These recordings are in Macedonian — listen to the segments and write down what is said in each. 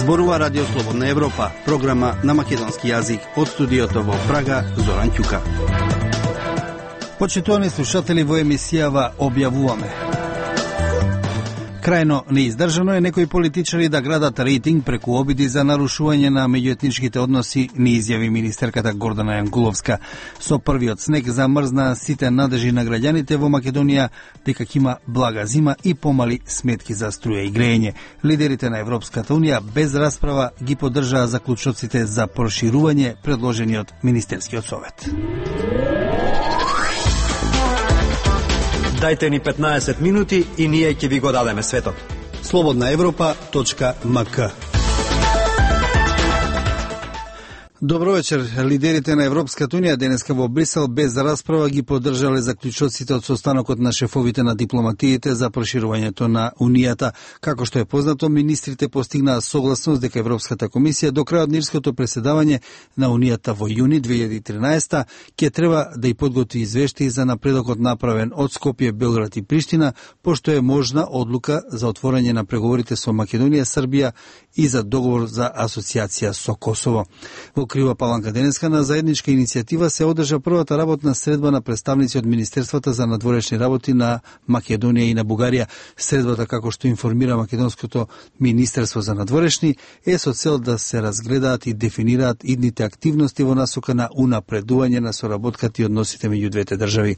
Зборува Радио Слободна Европа, програма на македонски јазик од студиото во Прага, Зоран Ќука. Почитувани слушатели, во емисијава објавуваме: крајно неиздржано е некои политичари да градат рейтинг преку обиди за нарушување на меѓуетничките односи, ни изјави министерката Гордана Јанкуловска. Со првиот снег замрзна сите надежи на граѓаните во Македонија дека ќе има блага зима и помали сметки за струја и грејење. Лидерите на Европската унија без расправа ги поддржаа заклучоците за проширување предложени од Министерскиот совет. Дајте ни 15 минути и ние ќе ви го дадеме светот. slobodnaevropa.mk. Добро вечер. Лидерите на Европската унија денеска во Брисел без расправа ги поддржале заклучоците од состанокот на шефовите на дипломатиите за проширувањето на унијата. Како што е познато, министрите постигнаа согласност дека Европската комисија до крајот на ирското преседавање на унијата во јуни 2013 ќе треба да и подготви извештаи за напредокот направен од Скопје, Белград и Приштина, пошто е можна одлука за отворање на преговорите со Македонија, Србија и за договор за асоциација со Косово. Во Крива Паланка денеска на заедничка иницијатива се одржа првата работна средба на представници од Министерствата за надворешни работи на Македонија и на Бугарија. Средбата, како што информира Македонското Министерство за надворешни, е со цел да се разгледаат и дефинираат идните активности во насока на унапредување на соработката и односите меѓу двете држави.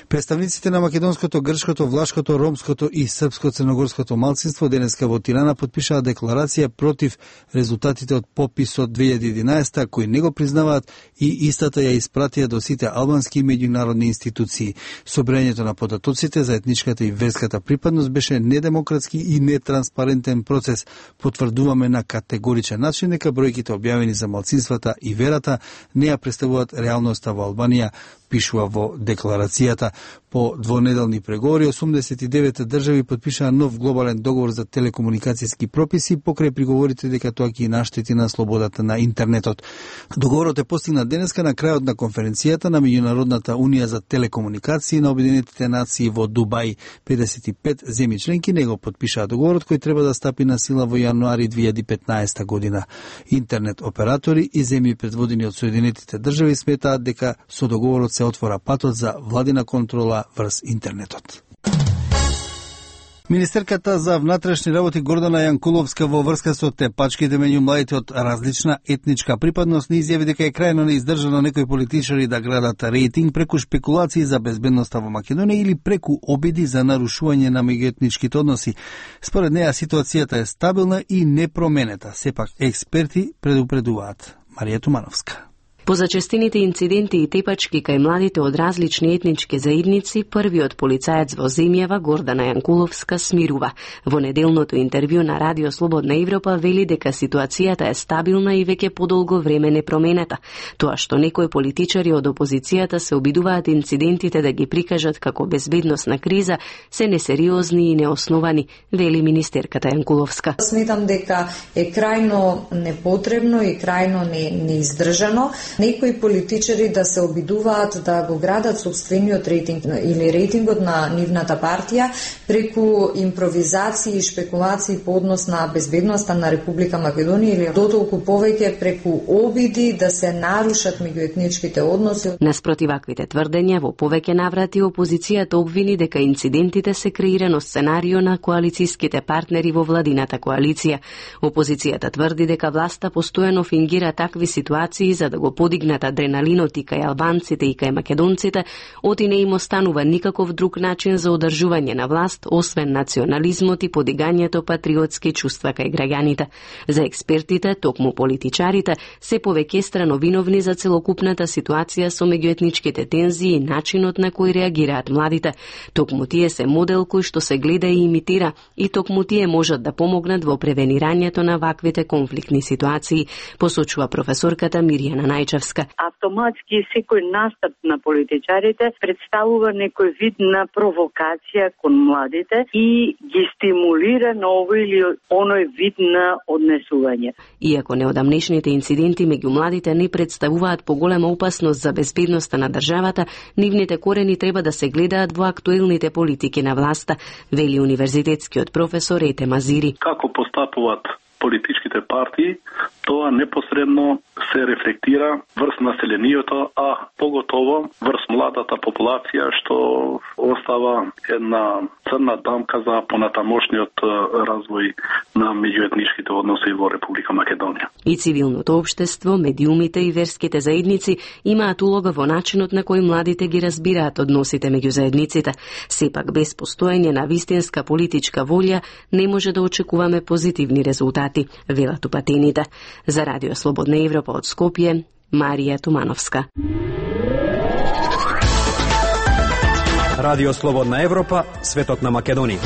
Представниците на македонското, грчкото, влашкото, ромското и српско-црногорското малцинство денеска во Тирана потпишаа декларација против резултатите од пописот 2011 кои не го признаваат и истата ја испратија до сите албански и меѓународни институции. Собрањето на податоците за етничката и верската припадност беше недемократски и нетранспарентен процес. Потврдуваме на категоричен начин дека бројките објавени за малцинствата и верата не ја представуваат реалноста во Албанија, пишува во декларацијата. По двонеделни преговори 89 држави потпишаа нов глобален договор за телекомуникацијски прописи покрај приговорите дека тоа ќе наштети на слободата на интернетот. Договорот е постигнат денеска на крајот на конференцијата на Меѓународната унија за телекомуникации на Обединетите нации во Дубај. 55 земји членки него потпишаа договорот кој треба да стапи на сила во јануари 2015 година. Интернет оператори и земји предводени од Соединетите држави сметаат дека со договорот се отвора патот за владина контрола врз интернетот. Министерката за внатрешни работи Гордана Јанкуловска во врска со тепачките меѓу младите од различна етничка припадност не изјави дека е крајно неиздржано некои политичари да градат рейтинг преку шпекулации за безбедноста во Македонија или преку обиди за нарушување на меѓуетничките односи. Според неа ситуацијата е стабилна и непроменета, сепак експерти предупредуваат. Марија Тумановска. По зачестените инциденти и тепачки кај младите од различни етнички заедници, првиот полицаец во земјава, Гордана Јанкуловска, смирува. Во неделното интервју на Радио Слободна Европа вели дека ситуацијата е стабилна и веќе подолго време непроменета. Тоа што некои политичари од опозицијата се обидуваат инцидентите да ги прикажат како безбедносна криза, се несериозни и неосновани, вели министерката Јанкуловска. Сметам дека е крајно непотребно и крајно неиздржано некои политичари да се обидуваат да го градат собствениот рейтинг или рейтингот на нивната партија преку импровизации и шпекулации по однос на безбедноста на Република Македонија или дотолку повеќе преку обиди да се нарушат меѓуетничките односи. Наспроти ваквите тврдења, во повеќе наврати опозицијата обвини дека инцидентите се креирано сценарио на коалицијските партнери во владината коалиција. Опозицијата тврди дека власта постојано фингира такви ситуации за да го подигнат адреналинот и кај албанците и кај македонците, оти не им останува никаков друг начин за одржување на власт, освен национализмот и подигањето патриотски чувства кај граѓаните. За експертите, токму политичарите, се повеќе страно виновни за целокупната ситуација со меѓуетничките тензии и начинот на кој реагираат младите. Токму тие се модел кој што се гледа и имитира и токму тие можат да помогнат во превенирањето на ваквите конфликтни ситуации, посочува професорката Мирјана Најчевска. Автоматски секој настап на политичарите представува некој вид на провокација кон младите и ги стимулира на овој или оној вид на однесување. Иако неодамнешните инциденти меѓу младите не представуваат поголема опасност за безбедноста на државата, нивните корени треба да се гледаат во актуелните политики на власта, вели универзитетскиот професор Ете Мазири. Како постапуваат политичките партии, тоа непосредно се рефлектира врз населението, а поготово врз младата популација, што остава една црна дамка за понатамошниот развој на меѓуетничките односи во Република Македонија. И цивилното општество, медиумите и верските заедници имаат улога во начинот на кој младите ги разбираат односите меѓу заедниците. Сепак без постоење на вистинска политичка волја не може да очекуваме позитивни резултати, велат упатените. За Радио Слободна Европа од Скопје, Марија Тумановска. Радио Слободна Европа, светот на Македонија.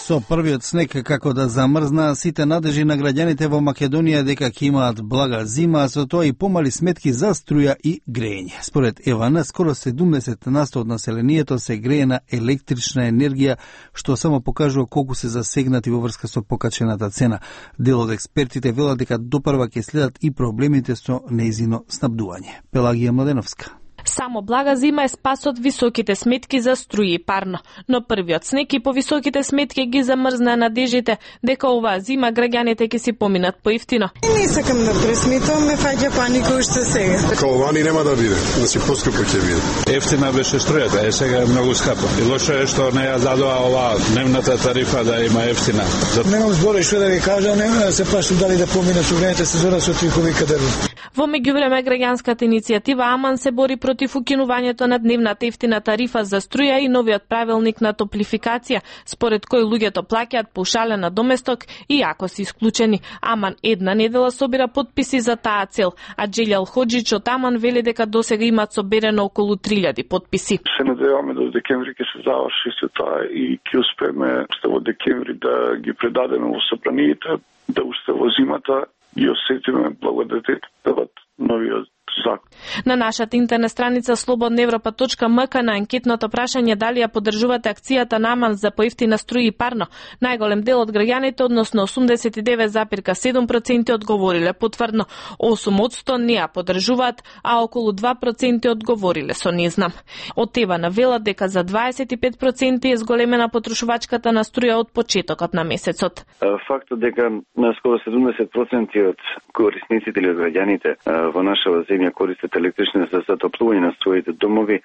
Со првиот снег како да замрзна, сите надежи на граѓаните во Македонија дека ќе имаат блага зима, а со тоа и помали сметки за струја и грејење. Според ЕВН, скоро 70% од населението се грее на електрична енергија, што само покажува колку се засегнати во врска со покачената цена. Дел од експертите велат дека допрва ќе следат и проблемите со нејзино снабдување. Пелагија Младеновска. Само блага зима е спас од високите сметки за струја и парно, но првиот снег и повисоките сметки ги замрзна надежите дека оваа зима граѓаните ќе си поминат поевтино. Не сакам да пресметам, ме фаќа паника уште сега. Као вани нема да биде, значи поскапо ќе биде. Ефтина беше струјата, сега е многу скапа. И лошо е што не ја задоа оваа дневната тарифа да има ефтина. Немам збори што да ви кажам, нема да се плашам дали да поминат огнените сезона со тихови кадрви. Во меѓувреме граѓанската иницијатива Аман се бори против укинувањето на дневната ефтина тарифа за струја и новиот правилник на топлификација, според кој луѓето плаќаат поушален доместок и ако се исклучени. Аман една недела собира подписи за таа цел, а Джелјал Хоџич од Аман вели дека досега имаат соберено околу 3000 подписи. Се надеваме до декември ќе се заврши се тоа и ќе успееме во декември да ги предадеме во собраниите, да уште во зимата и осетиме благодетелот новиот закон. На нашата интернет страница slobodnaevropa.mk на анкетното прашање дали ја поддржувате акцијата на Аман за поевтина струја и парно, најголем дел од граѓаните, односно 89,7% одговориле потврдно, 8% не ја поддржуваат, а околу 2% одговориле со не знам. Од ЕВН велат дека за 25% е зголемена потрошувачката на струја од почетокот на месецот. Фактот дека на скоро 70% од корисниците или од граѓаните во нашава земја користат електрична за затоплување на своите домови,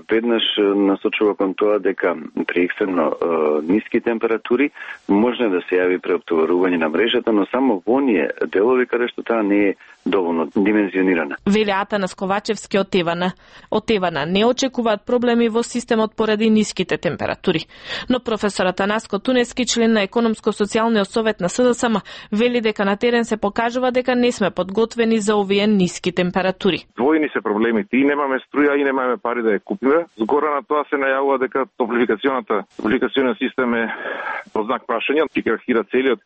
веднаш насочува кон тоа дека при екстремно ниски температури може да се јави преоптоварување на мрежата, но само во оние делови каде што таа не е доволно димензионирана. Вели Атанас Ковачевски од ЕВН. Од ЕВН не очекуваат проблеми во системот поради ниските температури. Но професорот Атанаско Тунески, член на Економско-социјалниот совет на СДСМ, вели дека на терен се покажува дека не сме подготвени за овие ниски температури. Двојни се проблемите, и немаме струја и немаме пари да ја купиме. Згора на тоа се најавува дека топлификацијниот систем е под знак прашање, ќе крахира целиот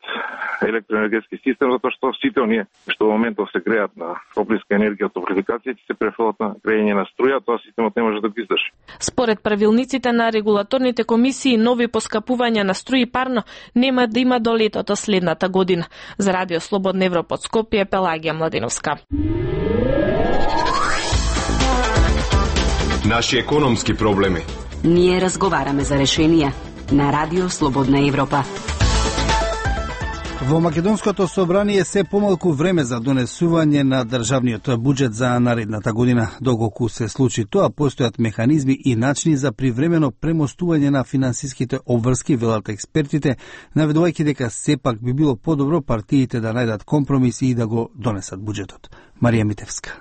електроенергетски систем, затоа што сите оние што во моментов се греат на топлинска енергија од топлификација ќе се префрлат на грејење на струја, тоа системот не може да го издржи. Според правилниците на регулаторните комисии, нови поскапувања на струја и парно нема да има до летото следната година. За Радио Слободна Европа од Скопје, Пелагија Младеновска. Наши економски проблеми. Ние разговараме за решенија на Радио Слободна Европа. Во Македонското собрание се помалку време за донесување на државниот буџет за наредната година. Доколку се случи тоа, постојат механизми и начини за привремено премостување на финансиските обврски, велат експертите, наведувајќи дека сепак би било подобро партиите да најдат компромис и да го донесат буџетот. Марија Митевска.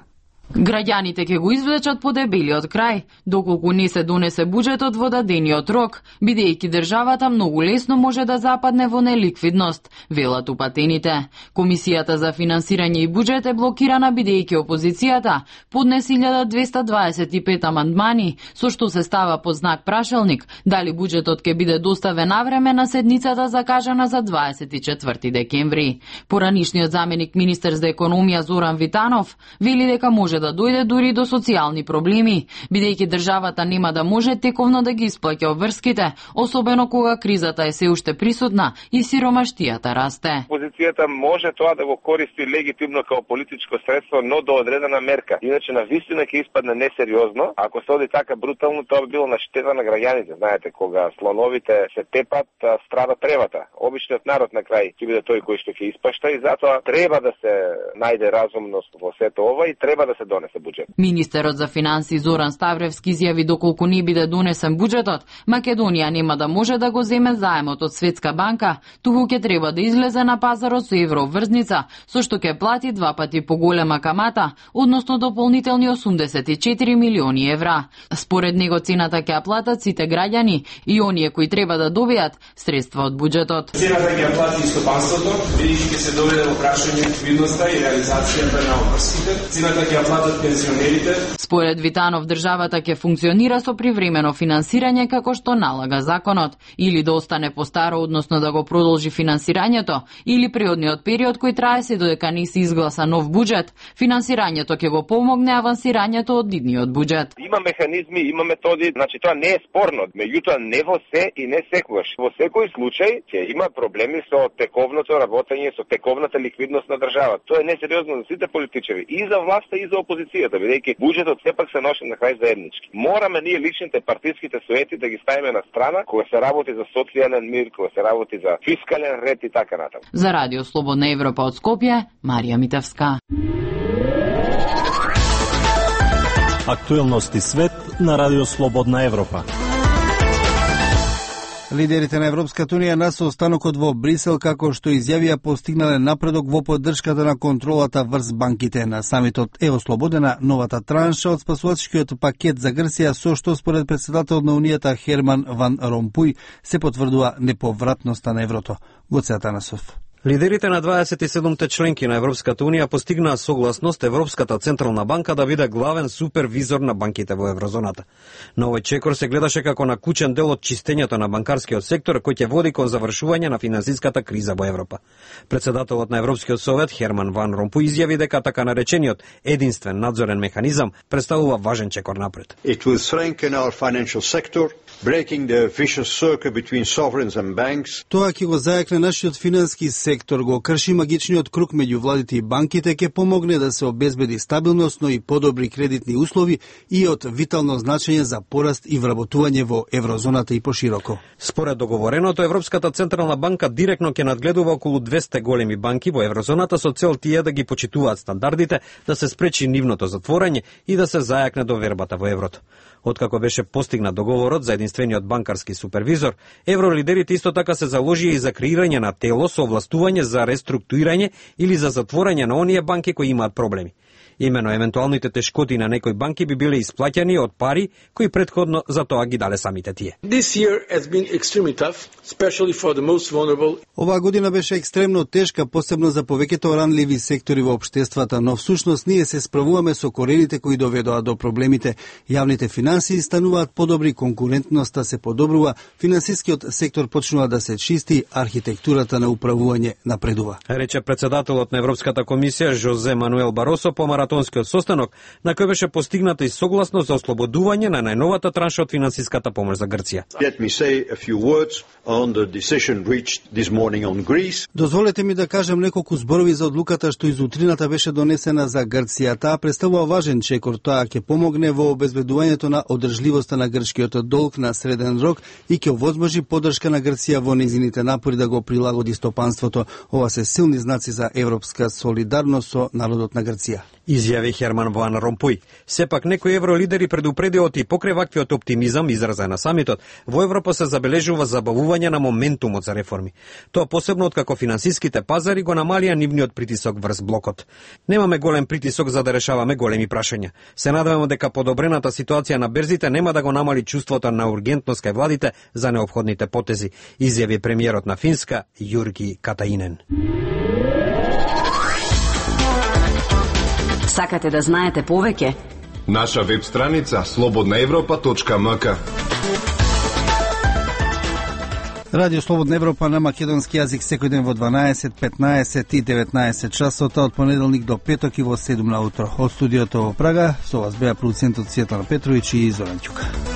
Граѓаните ќе го извлечат по дебелиот крај, доколку не се донесе буџетот во дадениот рок, бидејќи државата многу лесно може да западне во неликвидност, велат упатените. Комисијата за финансирање и буџет е блокирана бидејќи опозицијата поднесе 1225 амандмани, со што се става под знак прашалник дали буџетот ќе биде доставен навреме на седницата закажана за 24 декември. Поранишниот заменик министер за економија Зоран Витанов вели дека може може да дојде дури до социјални проблеми, бидејќи државата нема да може тековно да ги исплаќа обврските, особено кога кризата е се уште присутна и сиромаштијата расте. Опозицијата може тоа да го користи легитимно како политичко средство, но до одредена мерка. Иначе на вистина ќе испадне несериозно. Ако се оди така брутално, тоа би било на штета на граѓаните. Знаете, кога слоновите се тепат, страда тревата. Обичниот народ на крај ќе биде тој кој што ќе испашта и затоа треба да се најде разумност во сето ова и треба да се донесе буџет. Министерот за финансии Зоран Ставревски изјави доколку не биде донесен буџетот, Македонија нема да може да го земе заемот од Светска банка, туку ќе треба да излезе на пазарот со евроврзница, со што ќе плати 2 пати поголема камата, односно дополнителни 84 милиони евра. Според него цената ќе платат сите граѓани и оние кои треба да добијат средства од буџетот. Цената ќе плати стопанството, бидејќи ќе се доведе во прашање ликвидноста и реализацијата на обврските. Цената ќе платат пензионерите. Според Витанов, државата ќе функционира со привремено финансирање како што налага законот, или да остане по старо, односно да го продолжи финансирањето, или преодниот период кој трае се додека не се изгласа нов буџет. Финансирањето ќе го помогне авансирањето од идниот буџет. Има механизми, има методи, значи тоа не е спорно, меѓутоа не во се и не секогаш. Во секој случај ќе има проблеми со тековното работење, со тековната ликвидност на државата. Тоа е несериозно за сите политичари, и за власта и за опозицијата, бидејќи буџетот сепак се носи на крај заеднички. Мораме ние личните партиските суети да ги ставиме на страна кога се работи за социјален мир, кога се работи за фискален ред и така натаму. За Радио Слободна Европа од Скопје, Марија Митевска. Актуелности свет на Радио Слободна Европа. Лидерите на Европската унија на состанокот во Брисел, како што изјавија, постигнале напредок во поддршката на контролата врз банките. На самитот е ослободена новата транша од спасувачкиот пакет за Грција, со што според претседателот на Унијата Херман Ван Ромпуј се потврдува неповратноста на еврото. Гоце Атанасов. Лидерите на 27-те членки на Европската унија постигнаа согласност Европската централна банка да биде главен супервизор на банките во еврозоната. Но овој чекор се гледаше како на кучен дел од чистењето на банкарскиот сектор кој ќе води кон завршување на финансиската криза во Европа. Председателот на Европскиот совет Херман Ван Ромпуј изјави дека така наречениот единствен надзорен механизам представува важен чекор напред. It will strengthen our financial sector, breaking the vicious circle between sovereigns and banks. Тоа ќе го зајакне нашиот финански сектор, го крши магичниот круг меѓу владите и банките, ќе помогне да се обезбеди стабилност, но и подобри кредитни услови и од витално значење за пораст и вработување во еврозоната и пошироко. Според договореното, Европската централна банка директно ќе надгледува околу 200 големи банки во еврозоната со цел тие да ги почитуваат стандардите, да се спречи нивното затворање и да се зајакне довербата во еврото. Откако беше постигнат договорот за единствениот банкарски супервизор, евролидерите исто така се заложија и за креирање на тело со овластување за реструктурирање или за затворање на оние банки кои имаат проблеми. Имено евентуалните тешкоти на некои банки би биле исплаќани од пари кои претходно за тоа ги дале самите тие. Оваа година беше екстремно тешка, посебно за повеќето ранливи сектори во општествата, но всушност ние се справуваме со корените кои доведоа до проблемите. Јавните финансии стануваат подобри, конкурентноста се подобрува, финансискиот сектор почнува да се чисти, архитектурата на управување напредува. Рече председателот на Европската комисија Жозе Мануел Баросо по маратонскиот состанок, на кој беше постигната и согласност за ослободување на најновата транша од финансиската помош за Грција. Дозволете ми да кажам неколку зборови за одлуката што изутрината беше донесена за Грција. Таа представува важен чекор, тоа ќе помогне во обезбедувањето на одржливоста на грчкиот долг на среден рок и ќе овозможи поддршка на Грција во незините напори да го прилагоди стопанството. Ова се силни знаци за европска солидарност со народот на Грција. Изјави Херман Ван Ромпуј. Сепак некои евролидери предупредиот и покрај ваквиот оптимизам изразен на самитот, во Европа се забележува забавување на моментумот за реформи. Тоа посебно откако финансиските пазари го намалија нивниот притисок врз блокот. Немаме голем притисок за да решаваме големи прашања. Се надеваме дека подобрената ситуација на берзите нема да го намали чувството на ургентност кај владите за неопходните потези, изјави премиерот на Финска Јурги Катаинен. Сакате да знаете повеќе? Наша веб страница slobodnaevropa.mk. Радио Слободна Европа на македонски јазик секој ден во 12, 15 и 19 часота од понеделник до петок и во 7 на утро. Од студиото во Прага со вас беа продуцентот Светлана Петровиќ и Зоран Ќука.